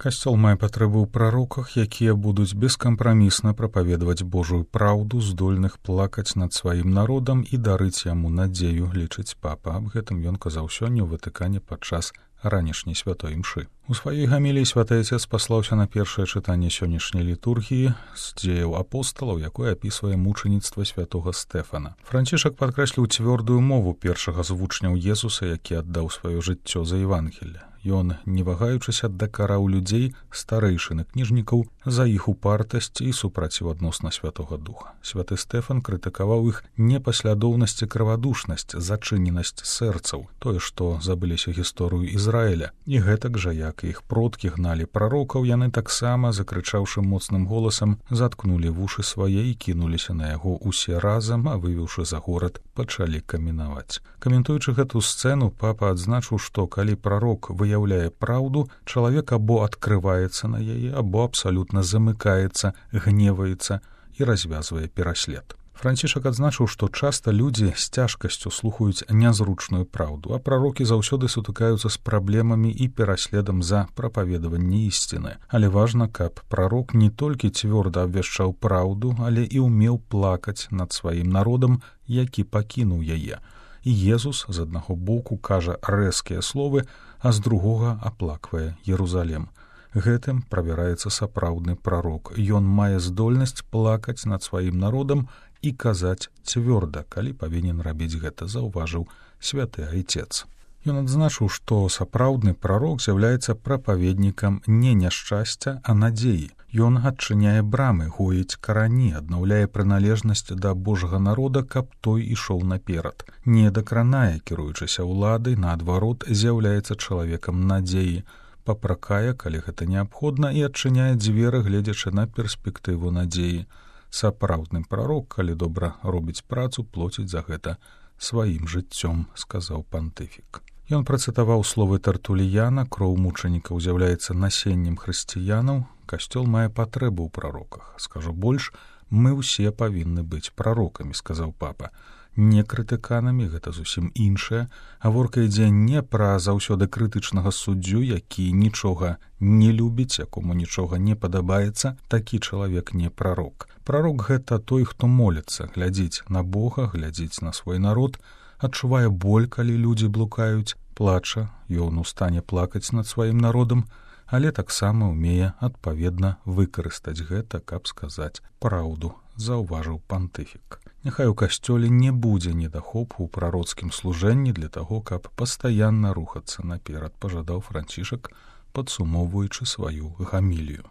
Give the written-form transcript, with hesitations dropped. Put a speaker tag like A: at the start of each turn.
A: Касцёл мае патрэбу ў прароках, якія будуць бескампрамісна прапаведаваць Божую праўду, здольных плакаць над сваім народам і дарыць яму надзею, лічыць папа. Аб гэтым ён казаў сёння ў Ватыкане падчас ранішняй святой імшы. У сваёй гаміліі святы Отец паслаўся на першае чытанне сённяшняй літургіі з дзеяў апосталаў, якое апісвае мучаніцтва святога Стэфана. Францішак падкрэсліў цвёрдую мову першага з вучняў Езуса, які аддаў сваё жыццё за Евангелле. Ён, не вагаючыся, дакараў людзей, старэйшын і кніжнікаў, за іх упартасць і супраціў адносна Святога Духа. Святы Стэфан крытыкаваў іх непаслядоўнасць і крывадушнасць, зачыненасць сэрцаў, тое, што забыліся гісторыю Ізраіля. І гэтак жа, як іх продкі гналі прарокаў, яны таксама, закрычаўшы моцным голасам, заткнулі вушы свае і кінуліся на яго усе разам, а вывеўшы за горад, пачалі каменаваць. Каментуючы гэту сцэну, папа адзначыў, што калі прарок выяўляе праўду, чалавек або адкрываецца на яе, або абсалютна замыкаецца, гневаецца і развязвае пераслед. Францішак адзначыў, што часта людзі з цяжкасцю слухаюць нязручную праўду, а прарокі заўсёды сутыкаюцца з праблемамі і пераследам за прапаведаванне ісціны. Але важна, каб прарок не толькі цвёрда абвяшчаў праўду, але і ўмеў плакаць над сваім народам, які пакінуў яе. І Езус з аднаго боку кажа рэзкія словы, а з другога аплаквае Єрузалем. Гэтым правяраецца сапраўдны прарок. Ён мае здольнасць плакаць над сваім народам і казаць цвёрда, калі павінен рабіць гэта, заўважыў святы Айцец. Ён адзначыў, што сапраўдны прарок з'яўляецца прапаведнікам не няшчасця, а надзеі. Ён адчыняе брамы, гоіць карані, аднаўляе прыналежнасць да Божага народа, каб той ішоў наперад. Не дакранае, кіруючыся ўладай, наадварот, з'яўляецца чалавекам надзеі, папракае, калі гэта неабходна, і адчыняе дзверы, гледзячы на перспектыву надзеі. Сапраўдны прарок, калі добра робіць працу, плоціць за гэта сваім жыццём, сказаў пантыфік. Ён працытаваў словы Тартуліяна: кроў мучанікаў з'яўляецца насеннем хрысціянаў, касцёл мае патрэбу ў прароках. Скажу больш, мы ўсе павінны быць прарокамі, сказаў папа. Не крытыканамі, гэта зусім іншае. Гаворка ідзе не пра заўсёды крытычнага суддзю, які нічога не любіць, якому нічога не падабаецца, такі чалавек не прарок. Прарок — гэта той, хто моліцца, глядзіць на Бога, глядзіць на свой народ, адчувае боль, калі людзі блукаюць, плача, ён у стане плакаць над сваім народам, але таксама ўмее адпаведна выкарыстаць гэта, каб сказаць праўду, заўважыў пантыфік. Няхай у касцёле не будзе недахопу ў прароцкім служэнні для таго, каб пастаянна рухацца наперад, пажадаў Францішак, падсумоўваючы сваю гамілію.